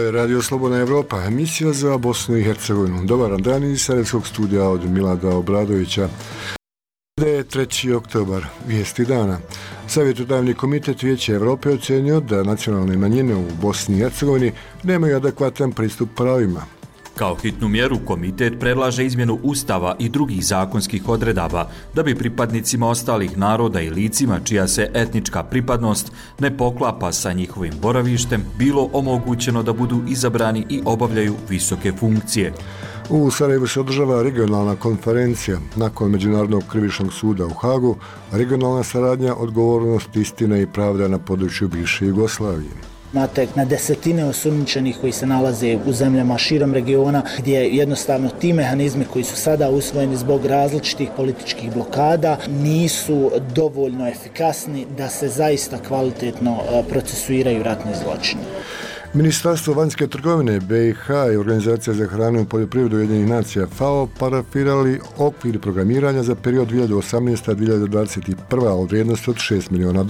je Radio Slobodna Evropa, emisija za Bosnu i Hercegovinu. Dobar dan iz Sarajevskog studija od Milada Obradovića. Da je 3. oktobar, vijesti dana. Savjetodavni komitet Vijeća Europe ocenio da nacionalne manjine u Bosni i Hercegovini nemaju adekvatan pristup pravima. Kao hitnu mjeru komitet predlaže izmjenu Ustava i drugih zakonskih odredaba da bi pripadnicima ostalih naroda i licima čija se etnička pripadnost ne poklapa sa njihovim boravištem bilo omogućeno da budu izabrani i obavljaju visoke funkcije. U Sarajevu se održava regionalna konferencija. Nakon Međunarodnog krivičnog suda u Hagu, regionalna saradnja, odgovornost, istina i pravda na području bivše Jugoslavije. Imate na desetine osumnjičenih koji se nalaze u zemljama širom regiona, gdje jednostavno ti mehanizmi koji su sada usvojeni zbog različitih političkih blokada nisu dovoljno efikasni da se zaista kvalitetno procesuiraju ratni zločini. Ministarstvo vanjske trgovine BiH i Organizacija za hranu i poljoprivredu Ujedinjenih nacija FAO parafirali okvir programiranja za period 2018-2021 od vrijednosti od $6 miliona.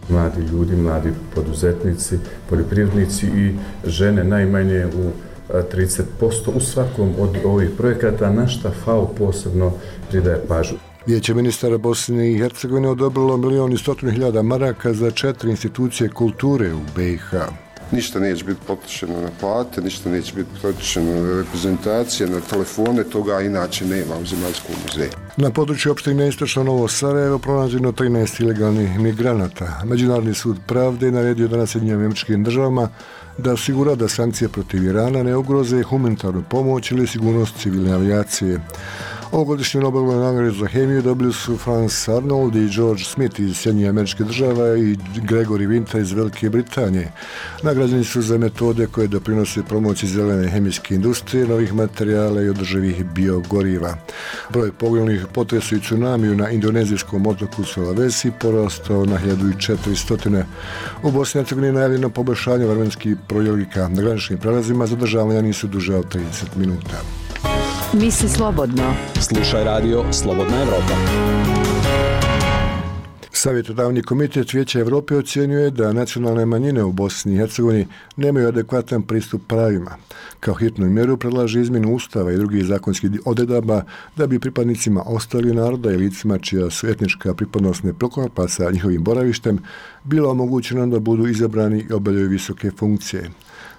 Mladi ljudi, mladi poduzetnici, poljoprivrednici i žene najmanje u 30% u svakom od ovih projekata, na šta FAO posebno pridaje pažnju. Vijeće ministara Bosne i Hercegovine odobrilo 1.100.000 maraka za 4 institucije kulture u BiH. Ništa neće biti potrošeno na plate, ništa neće biti potrošeno na reprezentacije, na telefone, toga inače nema u Zemaljskom muzeju. Na području opštine Istočno Novo Sarajevo pronađeno 13 ilegalnih migranata. Međunarodni sud pravde naredio danas Sjedinjenim Američkim Državama da osigura da sankcije protiv Irana ne ugroze humanitarnu pomoć ili sigurnost civilne avijacije. Ovogodišnju Nobelovu nagradu za hemiju dobili su Franz Arnold i George Smith iz Sjedinjenih Američkih Država i Gregory Winter iz Velike Britanije. Nagrađeni su za metode koje doprinose promociji zelene hemijske industrije, novih materijala i održivih biogoriva. Broj poginulih u potresu i tsunamiju na indonezijskom otoku Sulawesi porastao na 1400. U Bosni i Hercegovini je najavljeno poboljšanje vremenskih prilika. Na graničnim prelazima zadržavanja nisu duže od 30 minuta. Misli slobodno. Slušaj radio Slobodna Evropa. Savjetodavni komitet Vijeća Europe ocjenjuje da nacionalne manjine u Bosni i Hercegovini nemaju adekvatan pristup pravima. Kao hitnu mjeru predlaže izmjenu Ustava i drugih zakonskih odredaba da bi pripadnicima ostalih naroda i licima čija su etnička pripadnost ne poklapa sa njihovim boravištem bilo omogućeno da budu izabrani i obavljaju visoke funkcije.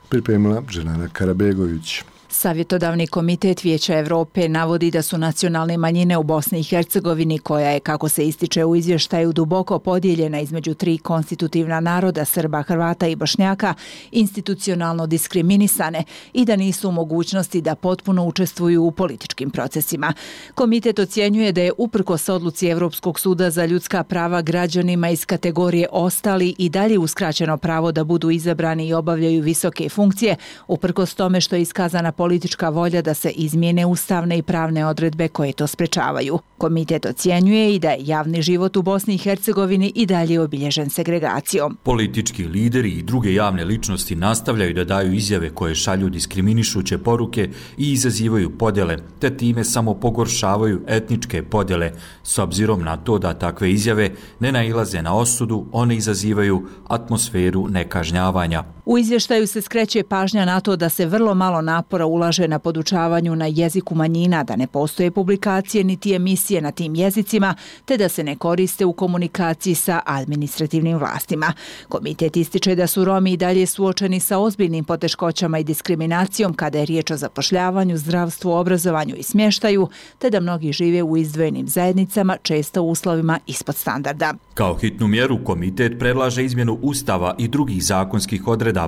Pripremila Dženana Karabegović. Savjetodavni komitet Vijeća Europe navodi da su nacionalne manjine u Bosni i Hercegovini, koja je, kako se ističe u izvještaju, duboko podijeljena između 3 konstitutivna naroda, Srba, Hrvata i Bošnjaka, institucionalno diskriminisane i da nisu u mogućnosti da potpuno učestvuju u političkim procesima. Komitet ocjenjuje da je uprkos odluci Europskog suda za ljudska prava građanima iz kategorije ostali i dalje uskraćeno pravo da budu izabrani i obavljaju visoke funkcije, uprkos tome što je iskazana politička volja da se izmijene ustavne i pravne odredbe koje to sprečavaju. Komitet ocjenjuje i da je javni život u Bosni i Hercegovini i dalje obilježen segregacijom. Politički lideri i druge javne ličnosti nastavljaju da daju izjave koje šalju diskriminišuće poruke i izazivaju podjele, te time samo pogoršavaju etničke podjele. S obzirom na to da takve izjave ne nailaze na osudu, one izazivaju atmosferu nekažnjavanja. U izvještaju se skreće pažnja na to da se vrlo malo napora ulaže na podučavanju na jeziku manjina, da ne postoje publikacije niti emisije na tim jezicima, te da se ne koriste u komunikaciji sa administrativnim vlastima. Komitet ističe da su Romi i dalje suočeni sa ozbiljnim poteškoćama i diskriminacijom kada je riječ o zapošljavanju, zdravstvu, obrazovanju i smještaju, te da mnogi žive u izdvojenim zajednicama, često u uslovima ispod standarda. Kao hitnu mjeru komitet predlaže izmjenu Ustava i drugih zakonskih odredaba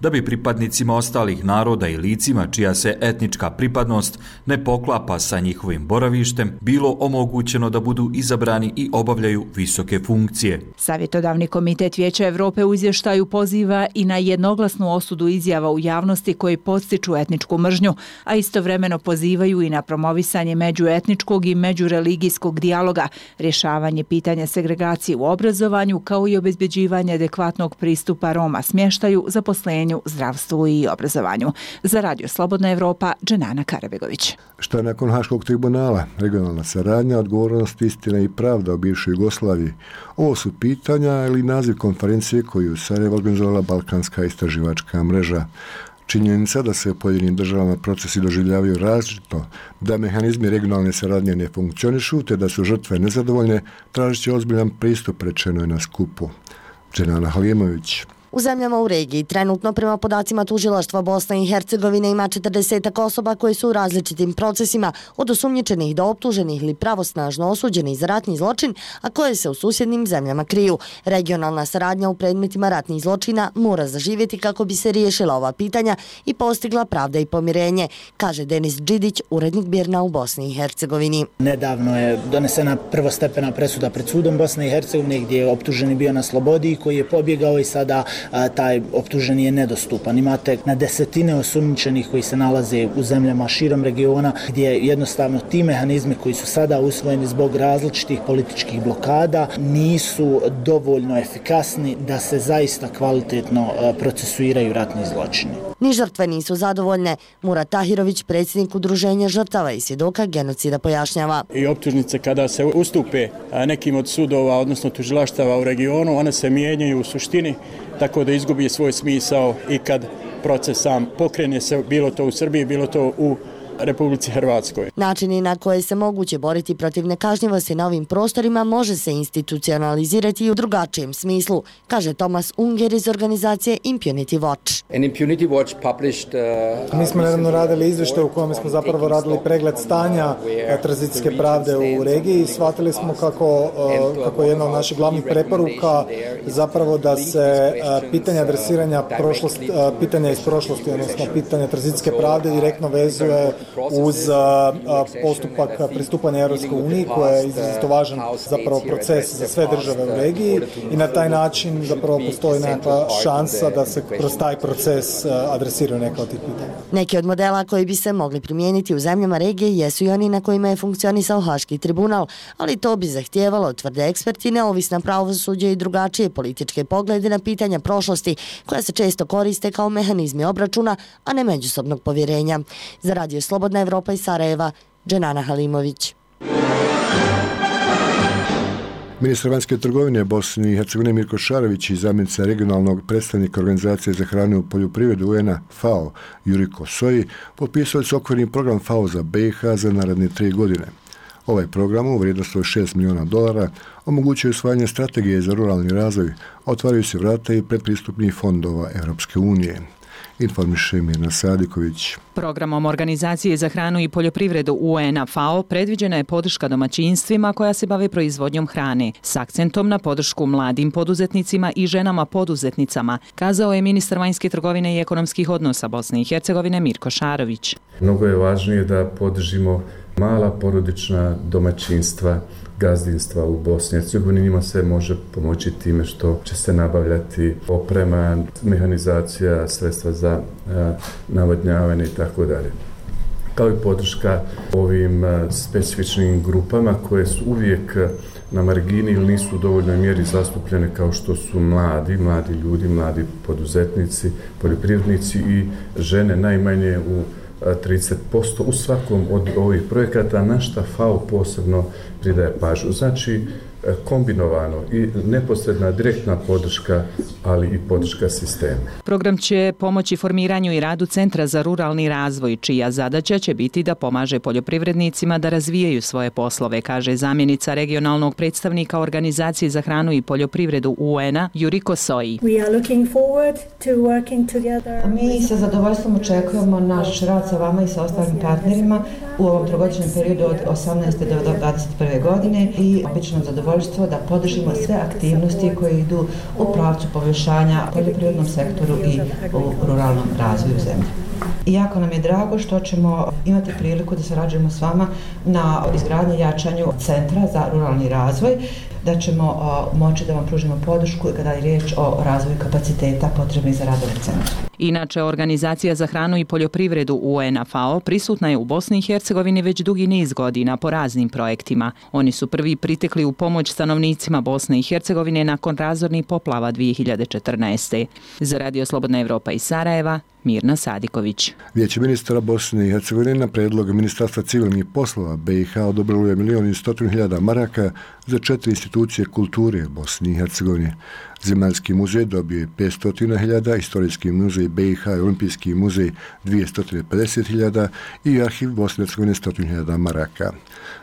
da bi pripadnicima ostalih naroda i licima čija se etnička pripadnost ne poklapa sa njihovim boravištem bilo omogućeno da budu izabrani i obavljaju visoke funkcije. Savjetodavni komitet Vijeća Europe u izvještaju poziva i na jednoglasnu osudu izjava u javnosti koji podstiču etničku mržnju, a istovremeno pozivaju i na promovisanje međuetničkog i međureligijskog dijaloga, rješavanje pitanja segregacije u obrazovanju, kao i obezbeđivanje adekvatnog pristupa Roma smještaju, zaposlenju, zdravstvu i obrazovanju. Za Radio Slobodna Evropa, Dženana Karabegović. Šta nakon Haškog tribunala? Regionalna saradnja, odgovornost, istina i pravda o bivšoj Jugoslaviji. Ovo su pitanja ili naziv konferencije koju u Sarajevu organizovala Balkanska istraživačka mreža. Činjenica da se u pojedinim državama procesi doživljavaju različito, da mehanizmi regionalne saradnje ne funkcionišu te da su žrtve nezadovoljne, tražit će ozbiljan pristup, rečeno je na skupu. Dženana Halimović. U zemljama u regiji trenutno prema podacima tužilaštva Bosne i Hercegovine ima 40 osoba koje su u različitim procesima od osumnjičenih do optuženih ili pravosnažno osuđenih za ratni zločin, a koje se u susjednim zemljama kriju. Regionalna saradnja u predmetima ratnih zločina mora zaživjeti kako bi se riješila ova pitanja i postigla pravda i pomirenje, kaže Denis Đidić, urednik BIRN-a u Bosni i Hercegovini. Nedavno je donesena prvostepena presuda pred sudom Bosne i Hercegovine gdje je optuženi bio na slobodi i koji je pobjegao i sada taj optuženi je nedostupan. Imate na desetine osumnjičenih koji se nalaze u zemljama širom regiona gdje jednostavno ti mehanizmi koji su sada usvojeni zbog različitih političkih blokada nisu dovoljno efikasni da se zaista kvalitetno procesuiraju ratni zločini. Ni žrtve nisu zadovoljne. Murat Tahirović, predsjednik Udruženja žrtava i svjedoka genocida, pojašnjava. I optužnice kada se ustupe nekim od sudova, odnosno tužilaštava u regionu, one se mijenjaju u suštini tako da izgubi svoj smisao i kad proces sam pokrene se, bilo to u Srbiji, bilo to u Republici Hrvatskoj. Načini na koje se moguće boriti protiv nekažnjivosti na ovim prostorima može se institucionalizirati i u drugačijem smislu, kaže Tomas Unger iz organizacije Impunity Watch. Mi smo nedavno radili izvještaj u kojem smo zapravo radili pregled stanja tranzicijske pravde u regiji i shvatili smo kako je jedna od naših glavnih preporuka zapravo da se pitanja adresiranja pitanja iz prošlosti, odnosno pitanja tranzicijske pravde direktno vezuje uz postupak pristupanja Europskoj uniji, koja je izrazito važan zapravo proces za sve države u regiji i na taj način zapravo postoji nekakva šansa da se kroz taj proces adresiraju neka od tih pitanja. Neki od modela koji bi se mogli primijeniti u zemljama regije jesu i oni na kojima je funkcionisao Haški tribunal, ali to bi zahtijevalo, tvrde eksperti, neovisna pravosuđe i drugačije političke poglede na pitanja prošlosti, koja se često koriste kao mehanizmi obračuna, a ne međusobnog povjerenja. Za Radio Slobodna Evropa iz Sarajeva, Dženana Halimović. Ministar vanjske trgovine Bosne i Hercegovine Mirko Šarović i zamjenica regionalnog predstavnika Organizacije za hranu i poljoprivredu UN-a FAO Juriko Soji potpisali su okvirni program FAO za BiH za naredne 3 godine. Ovaj program u vrijednosti od $6 milijuna omogućuje usvajanje strategije za ruralni razvoj, otvaraju se vrata i predpristupnih fondova Europske unije. Informiše Mirna Sadiković. Programom Organizacije za hranu i poljoprivredu UN-a FAO predviđena je podrška domaćinstvima koja se bave proizvodnjom hrane, s akcentom na podršku mladim poduzetnicima i ženama poduzetnicama, kazao je ministar vanjske trgovine i ekonomskih odnosa Bosne i Hercegovine Mirko Šarović. Mnogo je važnije da podržimo mala porodična domaćinstva, gazdinstva u Bosni i Hercegovini. Njima se može pomoći time što će se nabavljati oprema, mehanizacija, sredstva za navodnjavanje i tako dalje. Kao i podrška ovim specifičnim grupama koje su uvijek na margini ili nisu u dovoljnoj mjeri zastupljene, kao što su mladi ljudi, mladi poduzetnici, poljoprivrednici i žene najmanje u 30% u svakom od ovih projekata, na šta FAO posebno pridaje pažnju. Znači, kombinovano i neposredna direktna podrška, ali i podrška sistema. Program će pomoći formiranju i radu Centra za ruralni razvoj, čija zadaća će biti da pomaže poljoprivrednicima da razvijaju svoje poslove, kaže zamjenica regionalnog predstavnika Organizacije za hranu i poljoprivredu UN-a Juriko Soji. Mi sa zadovoljstvom očekujemo naš rad sa vama i sa ostalim partnerima u ovom trogodišnjem periodu od 18. do 21. godine i obično zadovoljstvo da podržimo sve aktivnosti koje idu u pravcu poboljšanja poljoprivrednom sektoru i u ruralnom razvoju zemlje. I jako nam je drago što ćemo imati priliku da sarađujemo s vama na izgradnji i jačanju Centra za ruralni razvoj, da ćemo moći da vam pružimo podršku kada je riječ o razvoju kapaciteta potrebnih za rad ovog centra. Inače, Organizacija za hranu i poljoprivredu UN-a FAO prisutna je u Bosni i Hercegovini već dugi niz godina po raznim projektima. Oni su prvi pritekli u pomoć stanovnicima Bosne i Hercegovine nakon razornih poplava 2014. Za Radio Slobodna Evropa iz Sarajeva, Mirna Sadiković. Vijeće ministara Bosne i Hercegovine na predlog Ministarstva civilnih poslova BiH odobrilo je 1.100.000 maraka za 4 institucije kulture Bosne i Hercegovine. Zemaljski muzej dobio je 500.000, Istorijski muzej muzej BiH i Olimpijski muzej 250.000 i arhiv Bosne i Hercegovine 100.000 maraka.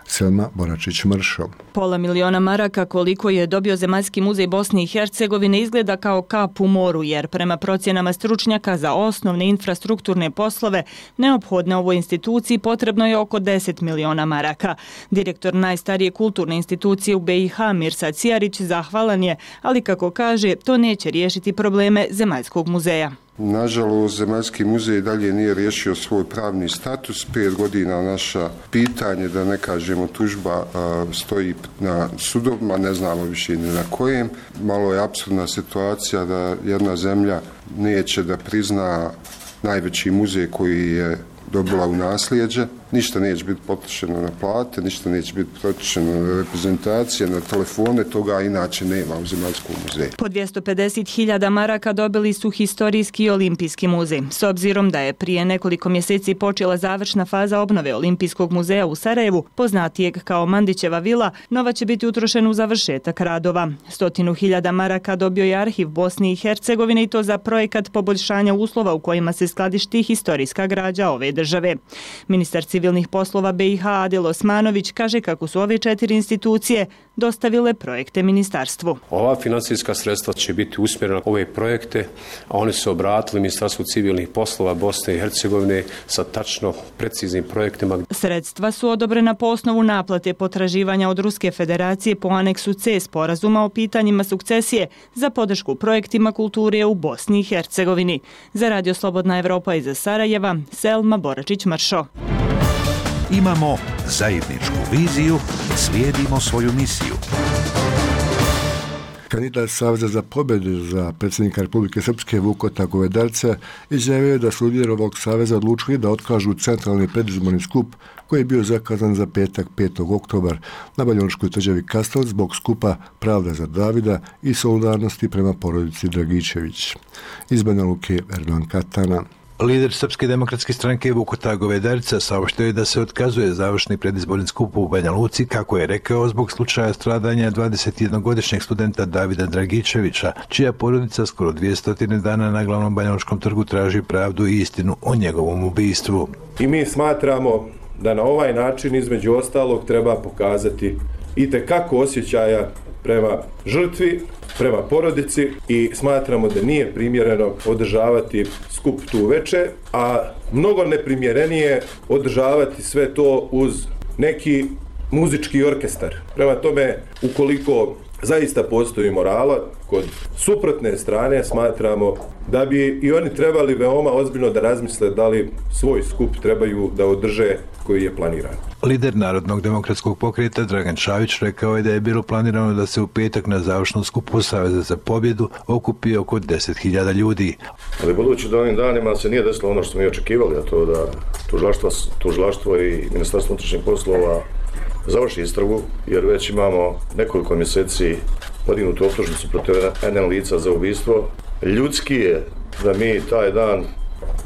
Selma Boračić-Mršo. Pola miliona maraka koliko je dobio Zemaljski muzej Bosne i Hercegovine izgleda kao kap u moru, jer prema procjenama stručnjaka za osnovne infrastrukturne poslove neophodne ovoj instituciji potrebno je oko 10 miliona maraka. Direktor najstarije kulturne institucije u BiH Mirsad Cijarić zahvalan je, ali kako kaže, to neće riješiti probleme Zemaljskog muzeja. Nažalost, Zemaljski muzej dalje nije riješio svoj pravni status. 5 godina naša pitanje, da ne kažemo tužba, stoji na sudovima, ne znamo više ni na kojem. Malo je apsurdna situacija da jedna zemlja neće da prizna najveći muzej koji je dobila u nasljeđe. Ništa neće biti potrošeno na plate, ništa neće biti potrošeno na reprezentacije, na telefone, toga inače nema u Zemaljskom muzeju. Po 250.000 maraka dobili su Historijski i Olimpijski muzej. S obzirom da je prije nekoliko mjeseci počela završna faza obnove Olimpijskog muzeja u Sarajevu, poznatijeg kao Mandićeva vila, nova će biti utrošena u završetak radova. 100.000 maraka dobio je arhiv Bosne i Hercegovine i to za projekat poboljšanja uslova u kojima se skladišti historijska građa ove države. Ministar civilnih poslova BiH Adil Osmanović kaže kako su ove 4 institucije dostavile projekte ministarstvu. Ova finansijska sredstva će biti usmjerena na ove projekte, a oni su obratili Ministarstvu civilnih poslova Bosne i Hercegovine sa tačno preciznim projektima. Sredstva su odobrena po osnovu naplate potraživanja od Ruske federacije po aneksu C sporazuma o pitanjima sukcesije za podršku projektima kulture u Bosni i Hercegovini. Za Radio Slobodna Evropa iz Sarajeva, Selma Boračić-Mršo. Imamo zajedničku viziju, slijedimo svoju misiju. Kandidat Saveza za pobjedu za predsjednika Republike Srpske Vukota Govedarca izjavio je da su lideri ovog saveza odlučili da otkažu centralni predizborni skup koji je bio zakazan za petak 5. oktobar na Banjalučkoj tvrđavi Kaštel zbog skupa Pravda za Davida i solidarnosti prema porodici Dragičević. Iz Banja Luke, Erdogan Katana. Lider Srpske demokratske stranke Vukota Govedarca saopštio je da se otkazuje završni predizborni skup u Banja Luci, kako je rekao, zbog slučaja stradanja 21-godišnjeg studenta Davida Dragičevića, čija porodica skoro 200 dana na glavnom Banjalučkom trgu traži pravdu i istinu o njegovom ubistvu. I mi smatramo da na ovaj način između ostalog treba pokazati itekako osjećaja prema žrtvi, prema porodici i smatramo da nije primjereno održavati skup tu veče, a mnogo neprimjerenije održavati sve to uz neki muzički orkestar. Prema tome, ukoliko zaista postoji morala, kod suprotne strane smatramo da bi i oni trebali veoma ozbiljno da razmisle da li svoj skup trebaju da održe koji je planiran. Lider Narodnog demokratskog pokreta Dragan Čavić rekao je da je bilo planirano da se u petak na završnom skupu Saveza za pobjedu okupi oko 10.000 ljudi. Ali budući da ovim danima se nije desilo ono što smo i očekivali, a to da tužilaštvo i Ministarstvo unutrašnjih poslova završi istragu, jer već imamo nekoliko mjeseci podignutu optužnicu protiv NN lica za ubistvo. Ljudski je da mi taj dan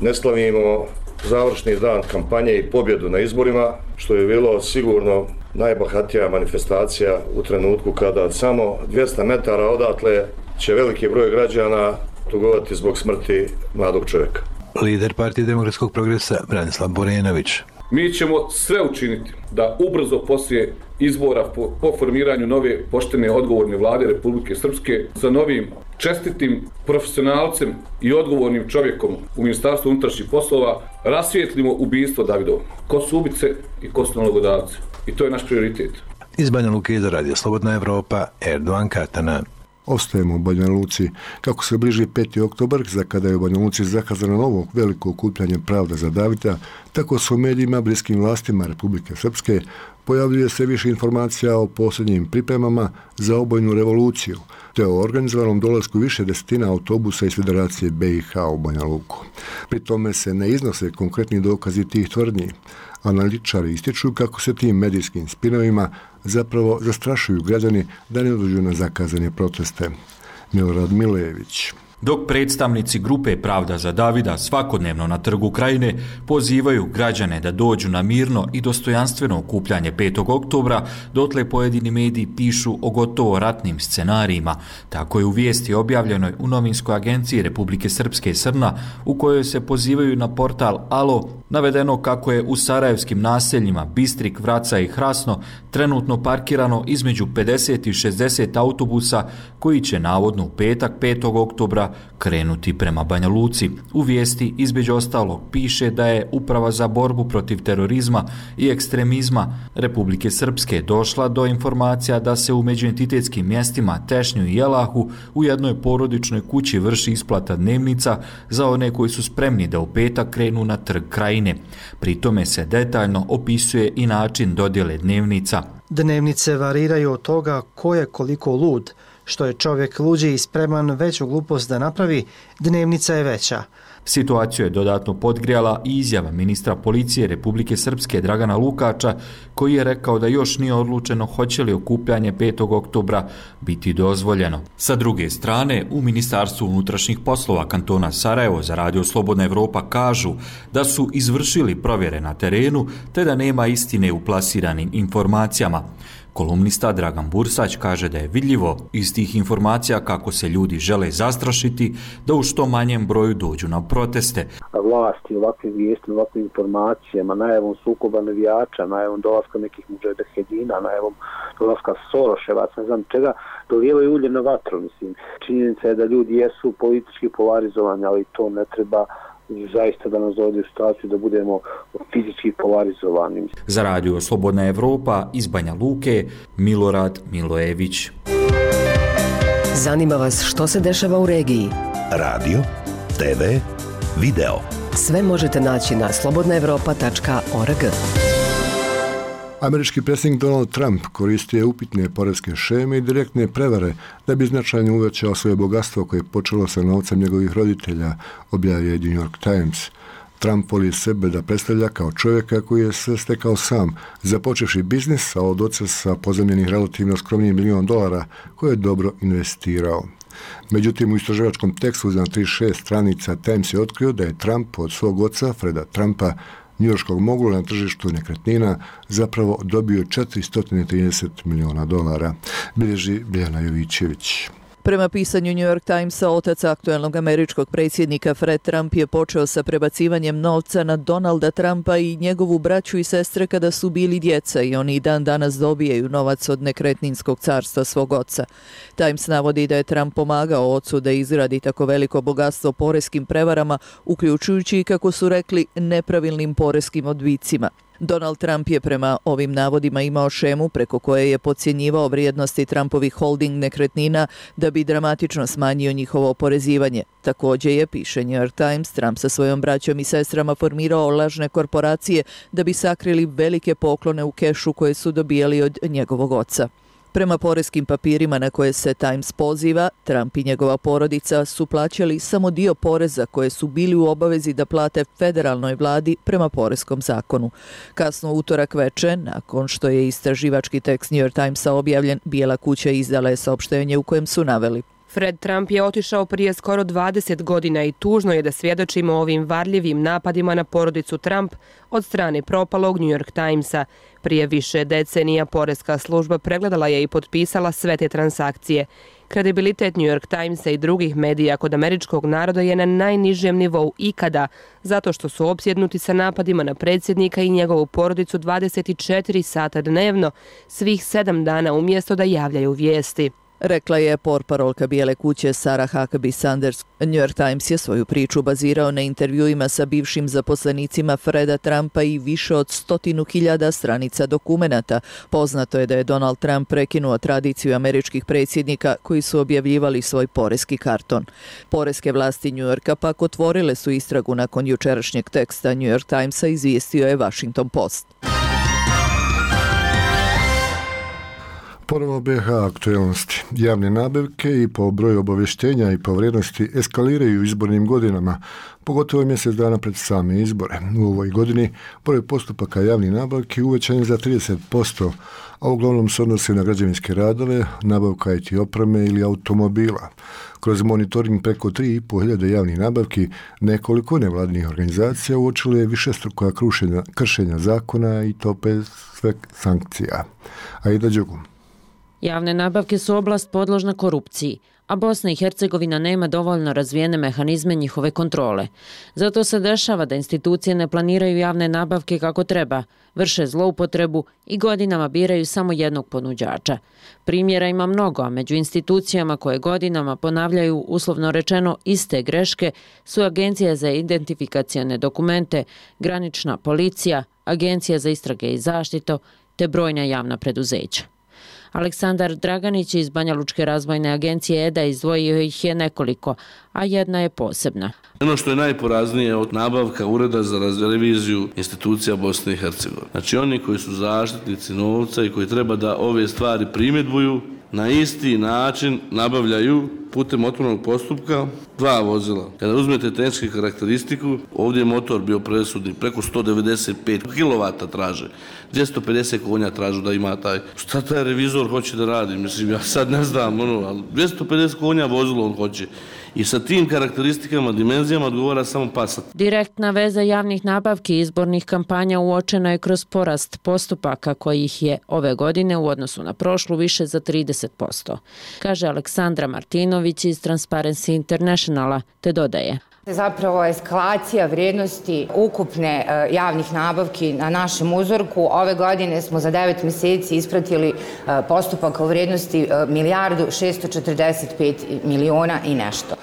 ne slavimo završni dan kampanje i pobjedu na izborima, što je bilo sigurno najbahatija manifestacija u trenutku kada samo 200 metara odatle će veliki broj građana tugovati zbog smrti mladog čovjeka. Lider Partije demokratskog progresa Branislav Borenović. Mi ćemo sve učiniti da ubrzo poslije izbora po formiranju nove poštene odgovorne vlade Republike Srpske sa novim čestitim profesionalcem i odgovornim čovjekom u Ministarstvu unutrašnjih poslova rasvijetlimo ubistvo Davidovo. Ko su ubice i ko su nalogodavci. I to je naš prioritet. Iz Banja Luke za Radio Slobodna Evropa, Erdogan Katana. Ostajemo u Banja Luci. Kako se bliži 5. oktobar, za kada je u Banja Luci zakazano novo veliko okupljanje Pravda za Davida, tako su u medijima bliskim vlastima Republike Srpske pojavljuje se više informacija o posljednjim pripremama za obojnu revoluciju, te o organizovanom dolasku više desetina autobusa iz Federacije BiH u Banja Luku. Pri tome se ne iznose konkretni dokazi tih tvrdnji. Analitičari ističu kako se tim medijskim spinovima zapravo zastrašuju građani da ne dođu na zakazane proteste. Milorad Milejević. Dok predstavnici grupe Pravda za Davida svakodnevno na trgu Krajine pozivaju građane da dođu na mirno i dostojanstveno okupljanje 5. oktobra, dotle pojedini mediji pišu o gotovo ratnim scenarijima. Tako je u vijesti objavljenoj u novinskoj agenciji Republike Srpske Srna, u kojoj se pozivaju na portal Alo, navedeno kako je u sarajevskim naseljima Bistrik, Vraca i Hrasno trenutno parkirano između 50 i 60 autobusa koji će navodno u petak 5. oktobra krenuti prema Banja Luci. U vijesti između ostalog piše da je Uprava za borbu protiv terorizma i ekstremizma Republike Srpske došla do informacija da se u međuentitetskim mjestima Tešnju i Jelahu u jednoj porodičnoj kući vrši isplata dnevnica za one koji su spremni da u petak krenu na trg Krajine. Pri tome se detaljno opisuje i način dodjele dnevnica. Dnevnice variraju od toga ko je koliko lud. Što je čovjek luđi i spreman veću glupost da napravi, dnevnica je veća. Situaciju je dodatno podgrijala i izjava ministra policije Republike Srpske Dragana Lukača, koji je rekao da još nije odlučeno hoće li okupljanje 5. oktobra biti dozvoljeno. Sa druge strane, u Ministarstvu unutrašnjih poslova kantona Sarajevo za Radio Slobodna Evropa kažu da su izvršili provjere na terenu te da nema istine u plasiranim informacijama. Kolumnista Dragan Bursać kaže da je vidljivo iz tih informacija kako se ljudi žele zastrašiti da u što manjem broju dođu na proteste. Vlasti ovakvim vijestima, ovakvim informacijama, najavom sukoba navijača, najavom dolaska nekih mudžahedina, najavom dolaska Soroševaca, ne znam čega, dolijevaju ulje na vatru. Mislim. Činjenica je da ljudi jesu politički polarizovani, ali to ne treba zaista da nas dovede u situaciju da budemo fizički polarizovani. Za Radio Slobodna Evropa iz Banja Luke, Milorad Milojević. Zanima vas što se dešava u regiji? Radio, TV, video. Sve možete naći na slobodnaevropa.org. Američki predsjednik Donald Trump koristio je upitne poreske šeme i direktne prevare da bi značajno uvećao svoje bogatstvo koje je počelo sa novcem njegovih roditelja, objavio je New York Times. Trump voli sebe da predstavlja kao čovjeka koji je sve stekao sam, započevši biznis, a od oca sa pozemljenih relativno skromnijih $1 milion koje je dobro investirao. Međutim, u istraživačkom tekstu za 36 stranica Times je otkrio da je Trump od svog oca, Freda Trumpa, njujorškog mogula na tržištu nekretnina, zapravo dobio $430 miliona, bilježi Biljana Jovićević. Prema pisanju New York Timesa, otac aktuelnog američkog predsjednika Fred Trump je počeo sa prebacivanjem novca na Donalda Trumpa i njegovu braću i sestre kada su bili djeca i oni dan danas dobijaju novac od nekretninskog carstva svog oca. Times navodi da je Trump pomagao ocu da izgradi tako veliko bogatstvo poreskim prevarama, uključujući, kako su rekli, nepravilnim poreskim odbicima. Donald Trump je prema ovim navodima imao šemu preko koje je podcjenjivao vrijednosti Trumpovih holding nekretnina da bi dramatično smanjio njihovo oporezivanje. Također je, piše New York Times, Trump sa svojom braćom i sestrama formirao lažne korporacije da bi sakrili velike poklone u kešu koje su dobijali od njegovog oca. Prema poreskim papirima na koje se Times poziva, Trump i njegova porodica su plaćali samo dio poreza koje su bili u obavezi da plate federalnoj vladi prema poreskom zakonu. Kasno utorak veče, nakon što je istraživački tekst New York Timesa objavljen, Bijela kuća izdala je saopštenje u kojem su naveli: Fred Trump je otišao prije skoro 20 godina i tužno je da svjedočimo ovim varljivim napadima na porodicu Trump od strane propalog New York Timesa. Prije više decenija poreska služba pregledala je i potpisala sve te transakcije. Kredibilitet New York Timesa i drugih medija kod američkog naroda je na najnižem nivou ikada, zato što su opsjednuti sa napadima na predsjednika i njegovu porodicu 24 sata dnevno, svih 7 dana umjesto da javljaju vijesti. Rekla je portparolka Bijele kuće Sarah Huckabee Sanders. New York Times je svoju priču bazirao na intervjuima sa bivšim zaposlenicima Freda Trumpa i više od 100.000 stranica dokumenata. Poznato je da je Donald Trump prekinuo tradiciju američkih predsjednika koji su objavljivali svoj poreski karton. Poreske vlasti New Yorka pak otvorile su istragu nakon jučerašnjeg teksta New York Timesa, izvijestio je Washington Post. Ponovo BiH aktualnosti. Javne nabavke i po broju obavještenja i po vrijednosti eskaliraju izbornim godinama, pogotovo mjesec dana pred same izbore. U ovoj godini broj postupaka javnih nabavki uvećan je za 30%, a uglavnom se odnosi na građevinske radove, nabavka IT opreme ili automobila. Kroz monitoring preko 3.500 javnih nabavki, nekoliko nevladinih organizacija uočilo je višestruka kršenja zakona i to bez sve sankcija. Aida Đugum. Javne nabavke su oblast podložna korupciji, a Bosna i Hercegovina nema dovoljno razvijene mehanizme njihove kontrole. Zato se dešava da institucije ne planiraju javne nabavke kako treba, vrše zloupotrebu i godinama biraju samo jednog ponuđača. Primjera ima mnogo, a među institucijama koje godinama ponavljaju uslovno rečeno iste greške su Agencija za identifikacione dokumente, granična policija, Agencija za istrage i zaštitu te brojna javna preduzeća. Aleksandar Draganić iz Banjalučke razvojne agencije EDA izdvojio ih je nekoliko, a jedna je posebna. Ono što je najporaznije od nabavka Ureda za reviziju institucija Bosne i Hercegovine. Znači oni koji su zaštitnici novca i koji treba da ove stvari primjedbuju, na isti način nabavljaju putem otvorenog postupka 2 vozila. Kada uzmete tehničku karakteristiku, ovdje je motor bio presudni, preko 195 kW traže, 250 konja tražu da ima taj. Šta taj revizor hoće da radi? Mislim, ja sad ne znam, ali 250 konja vozilo on hoće. I sa tim karakteristikama, dimenzijama odgovara samo Passat. Direktna veza javnih nabavki i izbornih kampanja uočena je kroz porast postupaka kojih je ove godine u odnosu na prošlu više za 30%, kaže Aleksandra Martinović iz Transparency Internationala, te dodaje. Zapravo eskalacija vrijednosti ukupne javnih nabavki na našem uzorku. Ove godine smo za 9 mjeseci ispratili postupak u vrijednosti 1.645.000.000 i nešto.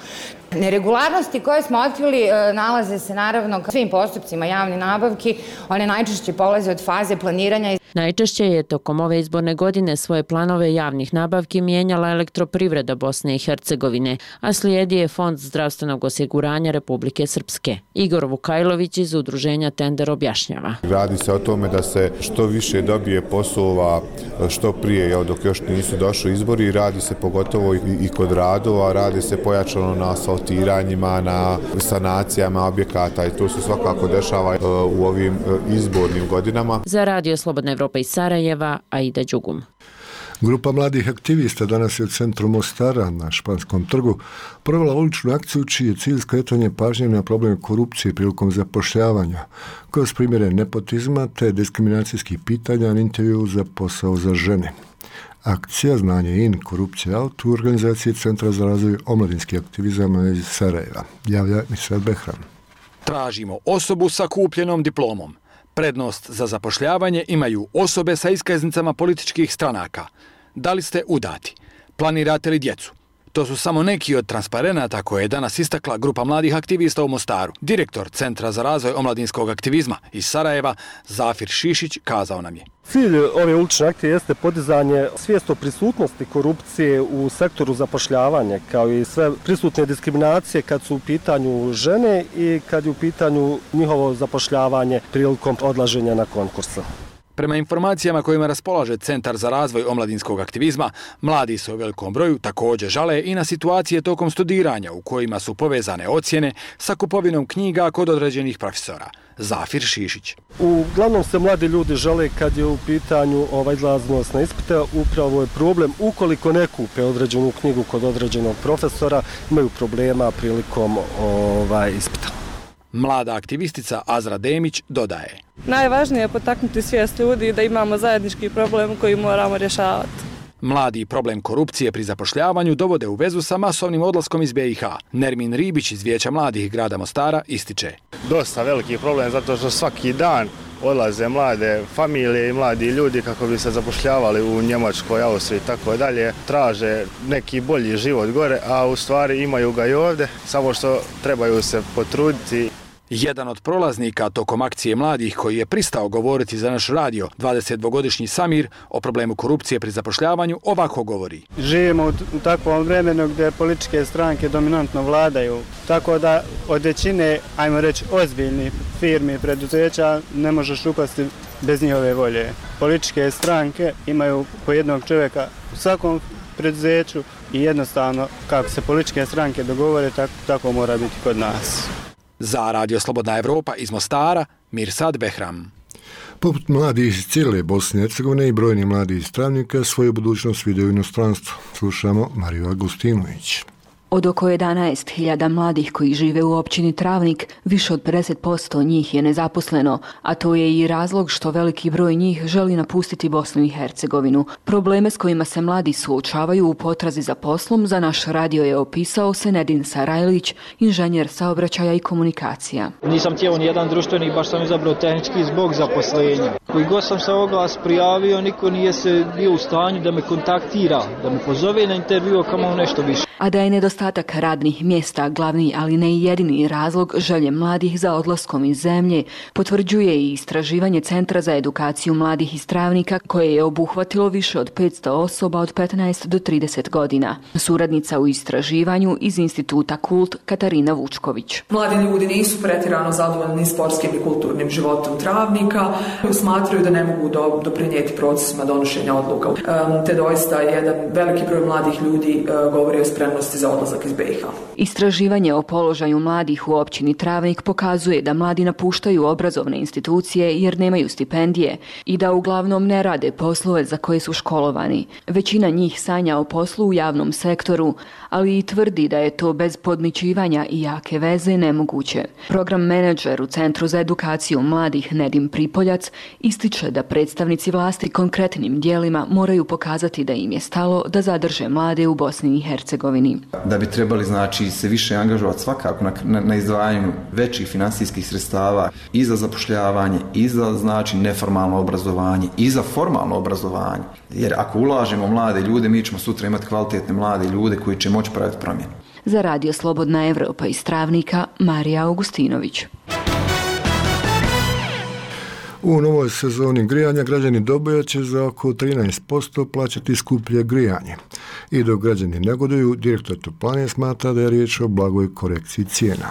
Neregularnosti koje smo otkrili nalaze se naravno u svim postupcima javne nabavki. One najčešće polaze od faze planiranja. Najčešće je tokom ove izborne godine svoje planove javnih nabavki mijenjala Elektroprivreda Bosne i Hercegovine, a slijedi je Fond zdravstvenog osiguranja Republike Srpske. Igor Vukajlović iz udruženja Tender objašnjava. Radi se o tome da se što više dobije poslova što prije, dok još nisu došli izbori, radi se pogotovo i kod radova, radi se pojačano na asfaltiranjima, na sanacijama objekata i to se svakako dešava u ovim izbornim godinama. Za Radio Slobodna Evropa iz Sarajeva, Aida Đugum. Grupa mladih aktivista danas je u centru Mostara na Španskom trgu provela uličnu akciju čiji je cilj skretanje pažnje na problem korupcije prilikom zapošljavanja, kroz primjere nepotizma te diskriminacijskih pitanja na intervju za posao za žene. Akcija Znanje in, korupcija out u organizaciji Centra za razvoj omladinskih aktivizama iz Sarajeva. Javlja Misrat Behram. Tražimo osobu sa kupljenom diplomom. Prednost za zapošljavanje imaju osobe sa iskaznicama političkih stranaka. Da li ste udati? Planirate li djecu? To su samo neki od transparenata koje je danas istakla grupa mladih aktivista u Mostaru. Direktor Centra za razvoj omladinskog aktivizma iz Sarajeva, Zafir Šišić, kazao nam je. Cilj ove ulične akcije jeste podizanje svijesti o prisutnosti korupcije u sektoru zapošljavanja, kao i sve prisutne diskriminacije kad su u pitanju žene i kad je u pitanju njihovo zapošljavanje prilikom odlaženja na konkursa. Prema informacijama kojima raspolaže Centar za razvoj omladinskog aktivizma, mladi se u velikom broju također žale i na situacije tokom studiranja u kojima su povezane ocjene sa kupovinom knjiga kod određenih profesora. Zafir Šišić. Uglavnom se mladi ljudi žele kad je u pitanju izlaznost na ispite, upravo je problem ukoliko ne kupe određenu knjigu kod određenog profesora, imaju problema prilikom ispita. Mlada aktivistica Azra Demić dodaje. Najvažnije je potaknuti svijest ljudi da imamo zajednički problem koji moramo rješavati. Mladi problem korupcije pri zapošljavanju dovode u vezu sa masovnim odlaskom iz BiH. Nermin Ribić iz Vijeća mladih grada Mostara ističe. Dosta veliki problem zato što svaki dan odlaze mlade familije i mladi ljudi kako bi se zapošljavali u Njemačkoj, Austriji i tako dalje. Traže neki bolji život gore, a u stvari imaju ga i ovdje, samo što trebaju se potruditi. Jedan od prolaznika tokom akcije mladih koji je pristao govoriti za naš radio, 22-godišnji Samir, o problemu korupcije pri zapošljavanju ovako govori. Živimo u takvom vremenu gdje političke stranke dominantno vladaju, tako da od većine, ajmo reći, ozbiljnih firmi i preduzeća ne možeš upasti bez njihove volje. političke stranke imaju po jednog čovjeka u svakom preduzeću i jednostavno kako se političke stranke dogovore, tako mora biti kod nas. Za Radio Slobodna Evropa iz Mostara, Mirsad Behram. Poput mladih iz cijele Bosne i Hercegovine i brojni mladi iz Travnika svoju budućnost vide u inostranstvu. Slušamo Mariju Agustinović. Od oko 11.000 mladih koji žive u općini Travnik, više od 50% njih je nezaposleno, a to je i razlog što veliki broj njih želi napustiti Bosnu i Hercegovinu. Probleme s kojima se mladi suočavaju u potrazi za poslom za naš radio je opisao Senedin Sarajlić, inženjer saobraćaja i komunikacija. Nisam htio ni jedan društveni, baš sam izabrao tehnički zbog zaposlenja. Koji god sam se oglas prijavio, niko nije se bio u stanju da me kontaktira, da me pozove na intervju, kamo nešto više. A da je nedostatak radnih mjesta glavni, ali ne i jedini razlog želje mladih za odlaskom iz zemlje, potvrđuje i istraživanje Centra za edukaciju mladih iz Travnika, koje je obuhvatilo više od 500 osoba od 15 do 30 godina. Suradnica u istraživanju iz Instituta Kult Katarina Vučković. Mladi ljudi nisu pretjerano zadovoljni sportskim i kulturnim životom Travnika, smatraju da ne mogu doprinijeti procesima donošenja odluka. Te doista jedan veliki broj mladih ljudi govori o spremnosti za odlazak iz BiH. Istraživanje o položaju mladih u općini Travnik pokazuje da mladi napuštaju obrazovne institucije jer nemaju stipendije i da uglavnom ne rade poslove za koje su školovani. Većina njih sanja o poslu u javnom sektoru, ali i tvrdi da je to bez podmićivanja i jake veze nemoguće. Program menadžer u Centru za edukaciju mladih Nedim Pripoljac ističe da predstavnici vlasti konkretnim dijelima moraju pokazati da im je stalo da zadrže mlade u Bosni i Hercegovini. Da bi trebali se više angažovati svakako na izdvajanju većih financijskih sredstava i za zapošljavanje, i za neformalno obrazovanje, i za formalno obrazovanje. Jer ako ulažemo mlade ljude, mi ćemo sutra imati kvalitetne mlade ljude koji će moći praviti promjene. Za Radio Slobodna Evropa iz Travnika, Marija Augustinović. U novoj sezoni grijanja građani Doboja će za oko 13% plaćati skuplje grijanje. I dok građani negoduju, direktor Toplane smatra da je riječ o blagoj korekciji cijena.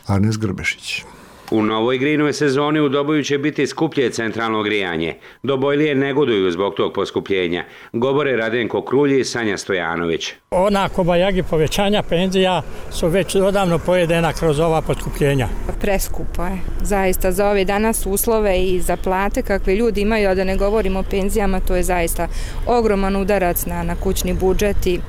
Arnes Grbešić. U novoj grijnoj sezoni u Doboju će biti skuplje centralno grijanje. Dobojlije negoduju zbog tog poskupljenja. Govore Radenko Krulji i Sanja Stojanović. Ona bajagi povećanja penzija su već odavno pojedena kroz ova poskupljenja. Preskupo je. Zaista za ove danas uslove i za plate kakve ljudi imaju, a da ne govorimo o penzijama, to je zaista ogroman udarac na kućni budžet i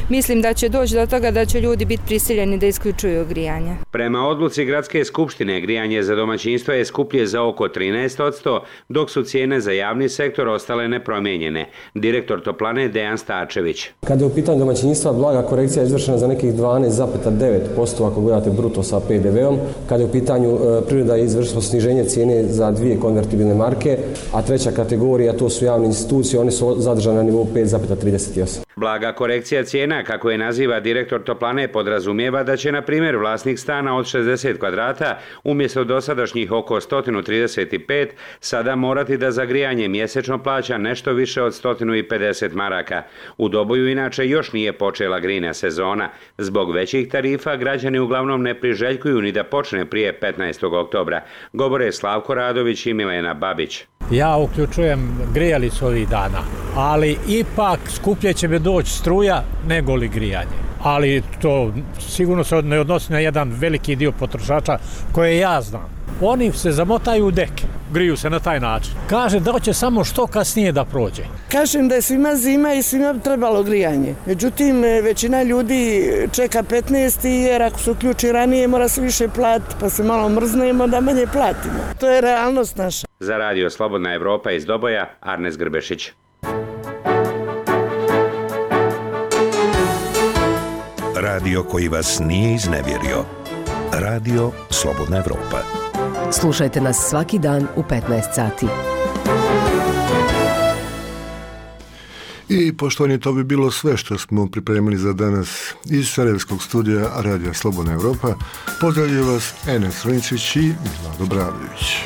mislim da će doći do toga da će ljudi biti prisiljeni da isključuju grijanje. Prema odluci Gradske skupštine, grijanje za domaćinstvo je skuplje za oko 13%, dok su cijene za javni sektor ostale nepromijenjene. Direktor Toplane Dejan Stačević. Kada je u pitanju domaćinstva, blaga korekcija je izvršena za nekih 12,9% ako gledate bruto sa PDV-om. Kada je u pitanju privreda je izvršila sniženje cijene za 2 konvertibilne marke, a treća kategorija, to su javne institucije, one su zadržane na nivou 5,38. Blaga korekcija cijena, kako je naziva direktor Toplane, podrazumijeva da će, na primjer, vlasnik stana od 60 kvadrata umjesto dosadašnjih oko 135 sada morati da za grijanje mjesečno plaća nešto više od 150 maraka. U Doboju inače još nije počela grijna sezona. Zbog većih tarifa građani uglavnom ne priželjkuju ni da počne prije 15. oktobra. Govore Slavko Radović i Milena Babić. Ja uključujem grijalicu ovih dana, ali ipak skuplje će mi doći struja nego li grijanje. Ali to sigurno se ne odnosi na jedan veliki dio potrošača koje ja znam. Oni se zamotaju u deke, griju se na taj način. Kaže da će samo što kasnije da prođe. Kažem da je svima zima i svima trebalo grijanje. Međutim, većina ljudi čeka 15. jer ako se uključi ranije mora se više platiti, pa se malo mrznemo da manje platimo. To je realnost naša. Za Radio Slobodna Evropa iz Doboja, Arnes Grbešić. Radio koji vas nije iznevjerio. Radio Slobodna Evropa. Slušajte nas svaki dan u 15 sati. I poštovani, to bi bilo sve što smo pripremili za danas iz Sarajevskog studija Radija Slobodna Evropa. Pozdravljaju vas Enes Roničić i Vlado Bravljević.